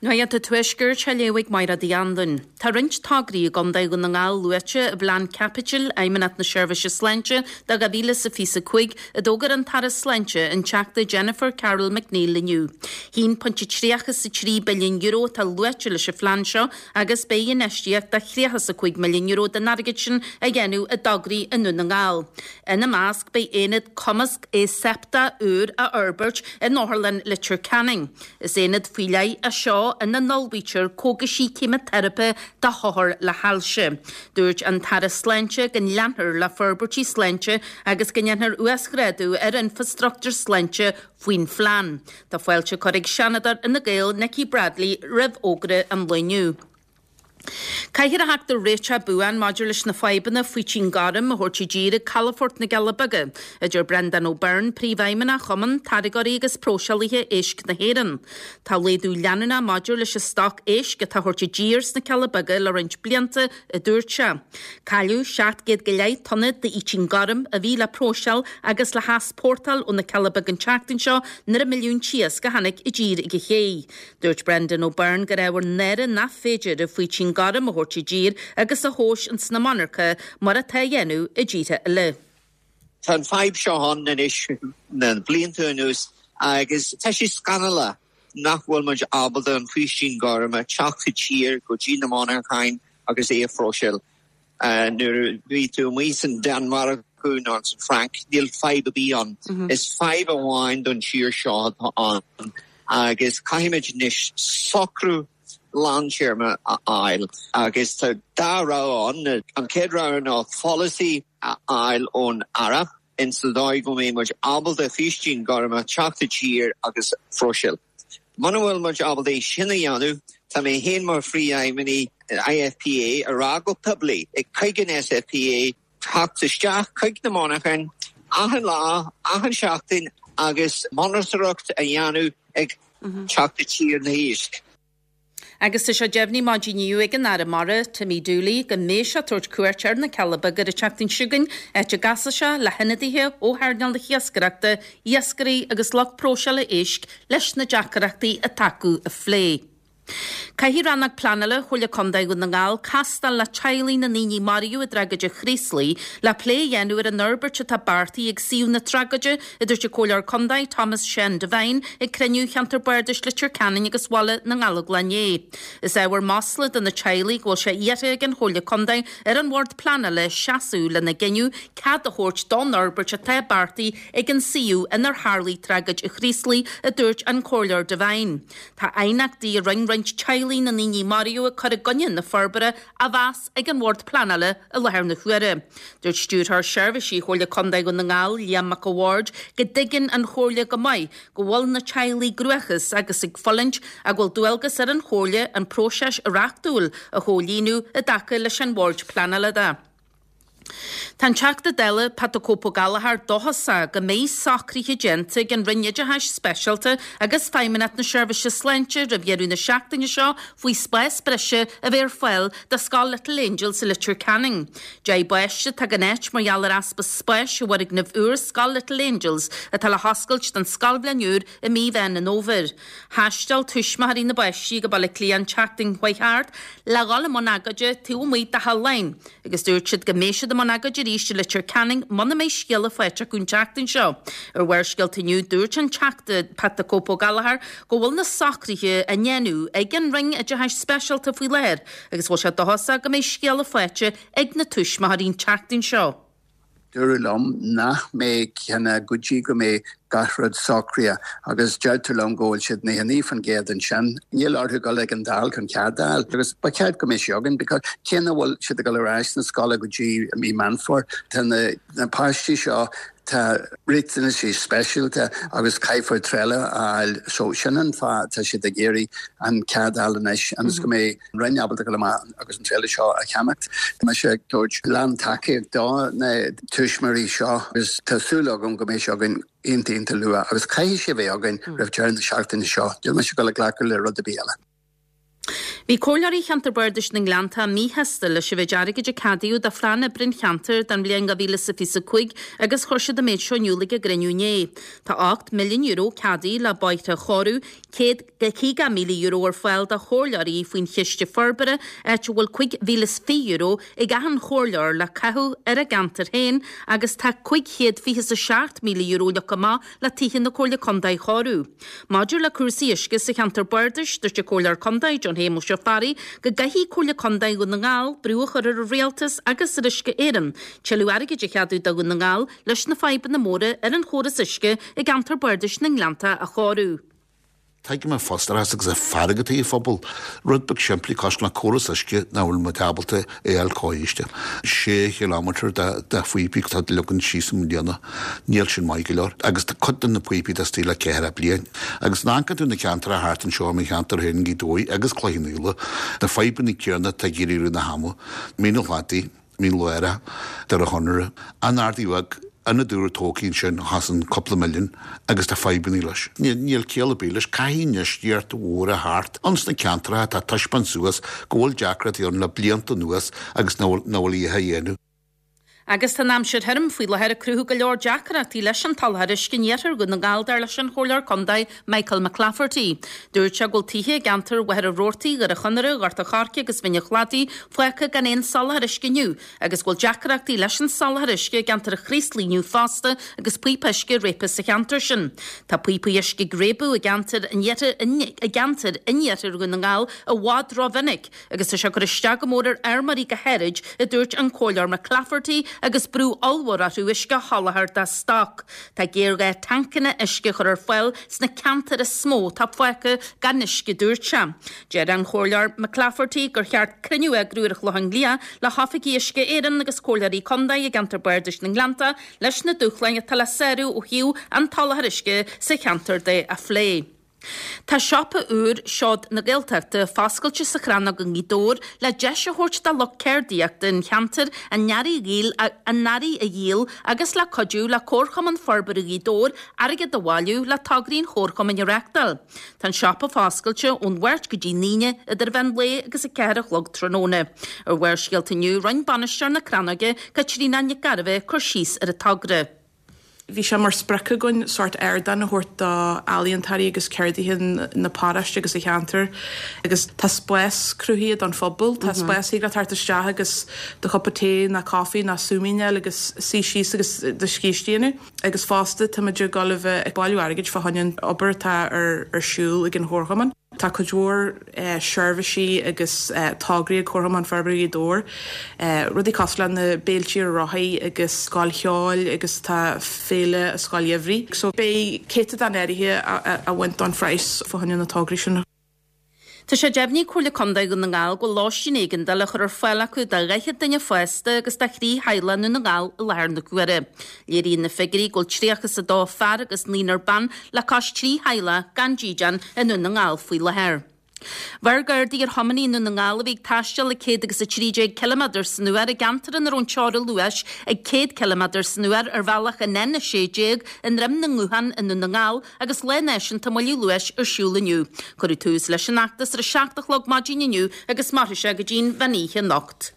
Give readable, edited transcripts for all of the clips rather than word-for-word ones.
Nuacht an Tuaiscirt á léamh ag Máire Uí Anluain. Tá roinnt tograí i gContae Dhún na nGall luaite i bPlean Caipitil Fheidhmeannacht na Seirbhíse Sláinte do 2025, a d'fhógair an tAire Sláinte, an Teachta Jennifer Carroll MacNeill inniu. €1.33 billiún atá luaite leis an phlean seo agus beidh infheistíocht de €35 milliún den airgead sin á dhéanamh i dtograí i nDún na nGall. Ina measc beidh aonad cumasc aseipteach úr á fhorbairt in Otharlann Leitir Ceanainn. Is aonad faoi leith é seo ina n-ullmhaítear cógaisí ceimiteiripe do hothair le hailse. Dúirt an tAire Sláinte go leanfar le forbairtí sláinte agus go ndéanfar uasghrádú ar infreastruchtúr sláinte faoin phlean. Tá fáilte curtha ag Seanadóir Fhine Gael Nikki Bradley roimh fhógra an lae inniu. Caithfear a theacht ar réiteach buan maidir leis na fadhbanna faoitín gorm a thabhairt i dtír ag calafort na gCealla Beaga, a deir Brendan O'Byrne, Príomhfheidhmeannach Chumann Táirgeoirí agus Próiseálaithe Éisc na hÉireann. Tá laghdú leanúnach maidir leis an stoc éisc atá á thabhairt i dtír sna Cealla Beaga le roinnt blianta, a dúirt sé. Cailleadh 700 go leith tonna d'fhaoitín gorm a bhí le próiseáil agus le heaspórtáil ó na Cealla Beaga an tseachtain seo nuair an milliún t-iasc a tháinig i dtír ag an ché. Dúirt Brendan O'Byrne gur ábhar náire nach féidir an faoitín gorm a thabhairt i dtír agus a thomhas ins na monarcha mar atá á dhéanamh i dtíortha eile. Tá an fadhb seo ann anois na blianta anuas agus tá sé scannalach nach bhfuil muid ábalta an faoistín gorm a teacht i dtír go dtí na monarcháin agus é a phróiseáil. Nuair a bhí tú amuigh san Danmhairg nó san Fhrainc, níl fadhb ar bith ann. Is fadhb amháin don tír seo atá ann agus caithfimid anois socrú lántéarma a fháil agus tá dá rogha ann. An chéad rogha ná polasaí a fháil ón Aire in sa dóigh go mbeidh muid ábalta faoistín gorm a teacht i dtír agus phróiseáil. Muna bhfuil muid ábalta é sin a dhéanamh, tá mé féin mar phríomhfheidhmeannaí IFPA a rá go poiblí ag chuig an SFPA teacht isteach chuig na monarcháin achan lá, achan seachtain agus monatóireacht a dhéanamh ag teacht i dtír na h-éisc. Agus tá sé deimhnithe maidin inniu ag an Aire Mara, Timmy Dooley, go mbeidh sé ag tabhairt cuairt ar na Cealla Beaga ar an tseachtain seo chugainn, áit a gcasfaidh sé le hionadaithe ó hearnáil na hiascaireachta, iascairí agus lucht próiseála éisc leis na deacrachtaí atá acu a phlé. Caithfidh Rannóg Pleanála Chomhairle Contae Dhún na nGall castáil le teaghlaigh na ndaoine a maraíodh i dtragóid an Chraoslaigh le plé a dhéanamh ar an fhorbairt atá beartaithe ag suíomh na tragóide a dúirt an Comhairleoir Contae Thomas Seán Devine ag cruinniú Cheantar Bardais Leitir Ceanainn agus Bhaile na nGallóglach inné. Is ábhar masla do na teaghlaigh go bhfuil sé iarrtha ag an Chomhairle Contae ar an Bhord Pleanála seasamh lena gcinneadh cead a thabhairt don fhorbairt atá beartaithe ag an suíomh inar tharlaigh tragóid an Chraoslaigh, a dúirt an Comhairleoir Devine. Tá aighneachtaí a rinne roinnt teaghlaigh na ndaoine a maraíodh ag cur i gcoinne na forbartha á mheas ag an Bhord Pleanála i láthair na huaire. Dúirt Stiúrthóir Seirbhísí Chomhairle Contae Dhún na nGall, Liam Mac a' Bhaird, go dtuigeann an Chomhairle go maith go bhfuil na teaghlaigh i gcruachás agus ag fulaingt ach go bhfuil dualgas ar an Chomhairle an próiseas reachtúil a chomhlíonadh i dtaca leis an Bhord Pleanála de. Tá an Teachta Dála Pat 'The Cope' Ó Gallchóir dóchasach go mbeidh socruithe déanta ag an Roinn Oideachais Speisialta agus Feidhmeannacht na Seirbhíse Sláinte roimh dheireadh na seachtaine seo faoi spás breise a bheith ar fáil do Scoil Little Angels i Leitir Ceanainn. 10 bpáiste atá gan áit mar gheall ar easpa spáis i bhfoirgneamh úr Scoil Little Angels atá le hoscailt don scoilbhliain úr i mí Mheán an Fhómhair. Thaisteal tuismitheoirí na bpáistí go Baile Átha Cliath an tseachtain chuaigh thart le dhul i mbun agóide taobh amuigh de Theach Laighean. Agus dúirt siad go mbeidh siad i mbun agóide arís i Leitir Ceanainn muna mbeidh scéala faighte acu an tseachtain seo. Ar Bharrscéalta inniu, dúirt an Teachta Pat 'The Cope' Ó Gallchóir go bhfuil na socruithe á ndéanamh ag an Roinn Oideachais Speisialta faoi láthair agus go bhfuil sé dóchasach go mbeidh scéala faighte ag na tuismitheoirí an tseachtain seo. Dúradh liom nach mbeidh ceann go dtí go mbeidh gach rud socraithe agus deirtear liom go bhfuil siad 99% ansin. Níl orthu dul ag an Dáil chun cead a fháil agus ba cheart go mbeidh sé againn because cé nach bhfuil siad ag dul ar ais na scoile go dtí mí Meán Fómhair, tá na páistí seo, tá riachtanaisí speisialta agus caithfear trealamh a fháil so sin an fáth atá siad ag iarraidh an cead a fháil anois ionas go mbeidh an Roinn ábalta dul amach agus an trealamh seo a cheannacht. Tá mise ag tabhairt lán-tacaíocht do na tuismitheoirí seo agus tá súil agam go mbeidh sé againn iontach iontach luath agus caithfidh sé a bheith againn roimh deireadh na seachtaine seo. Níl mise ag dul ag glacadh le rud ar bith eile. Bhí Comhairleoirí Cheantar Bardais na nGleanntach míshásta leis an mhéid airgid a ceadaíodh do phlean oibre an cheantair don bhliain 2025 agus chuir siad an méid seo in iúl ag a gcruinniú inné. Tá €8 milliún ceadaithe le bóithre a chóiriú, €150,000 ar fáil do chomhairleoirí faoin Chiste Forbartha, áit a bhfuil €5,020 ag achan chomhairleoir le caitheamh ar a gceantar féin agus tá €527,000 leagtha amach le tithe na Comhairle Contae a chóiriú. Maidir le cúrsaí uisce sa cheantar bardais, dúirt an Comhairleoir Contae, John Shéamuis Ó Fearraigh, go gcaithfidh Comhairle Contae Dhún na nGall brú a chur ar an Rialtas agus ar Uisce Éireann tuilleadh airgid a cheadú do Dhún na nGall leis na fadhbanna móra ar an chóras uisce i gceantar bardais na nGleannta a chóiriú. Tuigim an frustrachas agus an fearg atá ag an phobal. Rud beag simplí cosúil le córas uisce nach bhfuil muid ábalta é a fháil cóiriste. Sé chileámeter de phíopaí atá leagtha síos i mbliana. Níl sin maith go leor. Agus tá cuid de na píopaí atá istigh le ceathracha bliain. Agus an amharcann tú na ceantracha thart anseo i mo cheantar féin, Gaoth Dobhair agus Cloich Cheann Fhaola, na fadhbanna céanna atá ag éirí i rith na hama. Mín an Chladaigh. Mín Lárach, Doire Chonaire, An Ardaidh Bheag, ionad úr tógtha ansin a chosain cúpla milliún agus tá fadhbanna leis. Níl ciall ar bith leis. Caithfidh infheistíocht mhór a theacht ins na ceantracha atá ag taispeáint suas go bhfuil deacrachtaí ann le blianta anuas agus nach bhfuil a dhath á dhéanamh. Agus tá an aimsir thirim faoi láthair ag cruthú go leor deacrachtaí leis an tsoláthar uisce in iarthar Dhún na nGall dar leis an Chomhairleoir Contae Michael McClafferty. Dúirt sé go bhfuil tithe i gceantar Mhachaire Rabhartaigh, Dhoire Chonaire, Ghort an Choirce agus Mhín an Chladaigh fágtha gan aon soláthar uisce inniu agus go bhfuil deacrachtaí leis an soláthar uisce i gceantar an Chraoslaigh inniu fosta agus píopa uisce réabtha sa cheantar sin. Tá píopaí uisce ag réabadh i gceantar in i gceantair in iarthar Dhún na nGall i bhfad rómhinic agus tá sé ag cur isteach go mór ar fheirmeoirí go háirid, a dúirt an Comhairleoir McClafferty agus brú ollmhór orthu uisce a sholáthar dá stoc. Tá géarghá tancanna uisce a chur ar fáil sna ceantair is mó atá fágtha gan uisce, dúirt sé. Deir an Comhairleoir McClafferty gur cheart cruinniú a eagrú ar an Chlochán Liath le hoifigigh Uisce Éireann agus Comhairleoirí Contae i gceantar Bardais na nGleannta leis na dúshláin atá le sárú ó thaobh an tsoláthair uisce sa cheantar de a phlé. Tá siopa úr Seod na Gaeltachta foscailte sa Chrannóg i nGaoth Dobhair le deis a thabhairt do lucht ceardaíochta an cheantair a n-earraí a n-earraí a dhíol agus le cuidiú le Comharchumann Forbartha Ghaoth Dobhair airgead a bhailiú le tograí an Chomharchumainn a reáchtáil. Tá an siopa foscailte ón Mháirt go dtí an Aoine idir mheán lae agus 4 a chlog tráthnóna. Ar Bharrscéalta inniu, rinne bainisteoir na Crannóige, Caitríona Nic Gairbheith, cur síos ar an togra. Bhí sé mar sprioc againn sórt ardán a thabhairt do ealaíontóirí agus ceardaithe na paróiste agus an cheantair agus tá spás cruthaithe don phobal. Tá spás thig leat teacht isteach agus do chupa tae ná caife ná súimín a fháil agus suí síos agus do scíth a dhéanamh. Agus fosta táimid ag dul a bheith ag bailiú airgid fá choinne an obair atá ar siúl ag an Chomharchumann. Tá cuid mhór seirbhísí agus tograí ag Comharchumann Forbartha Ghaoth Dobhair, rudaí cosúil le na béiltí ar rothaí agus scoil cheoil agus tá féile Scoil Gheimhridh. So beidh céatadán áirithe á bhaint don phraghas fá choinne na tograí sin. Tá sé deimhnithe ag Comhairle Contae Dhún na nGall go bhfuil lóistín éigeandála á chur ar fáil acu do 40 duine fásta agus do thrí theaghlach i nDún na nGall i láthair na huaire. Léiríonn na figiúirí go bhfuil 32 fear agus naonúr ban le cois 3 theaghlach gan dídean i nDún na nGall faoi láthair. Bheir Gardaí ar thiománaí i nDún na nGall a bhí ag taisteal ag 113 ciliméadar san uair i gceantar ina raibh an teora luais ag 100 ciliméadar san uair ar bhealach an N16 i nDroim na nGuthán i nDún na nGall agus Lá Náisiúnta Moilliú Luais ar siúl inniu. Cuireadh tús leis an fheachtas ar 7 a chlog maidin inniu agus mairfidh sé go dtí'n mheán oíche anocht.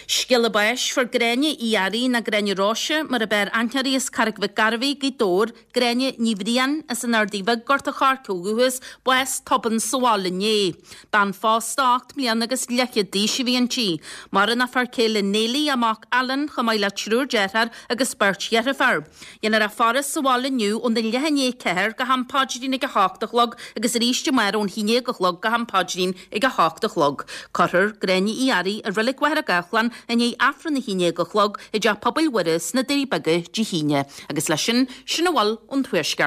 Scéala báis, Fuair Gráinne Uí Fhearraigh, nó Gráinne Róise mar ab fhearr aithne uirthi as Carraig Mhic Gairbheith, Gaoth Dobhair, Gráinne Ní Bhriain as an Ardaidh Bheag, Gort a' Choirce ó dhúchas, bás tobann sa bhaile inné. Bean phósta 8 mbliana agus leathchéad d'aois a bhí inti. Maireann a fear céile Neilí, a mac Alan, chomh maith le triúr deartháir agus beirt dheirfiúr. Déanfar a faire sa bhaile inniu óna leath i ndiaidh 4 go ham paidrín ag 8 a chlog agus arís amárach ón 11 a chlog go ham paidrín ag 8 a chlog. Cuirfear Gráinne Uí Fhearraigh i Reilig Mhachaire Gathlán i ndiaidh Aifreann a 11 a chlog i dTeach Pobail Mhuire sna Doirí Beaga Dé hAoine. Agus leis sin, sin a bhfuil ón Tuaisceart.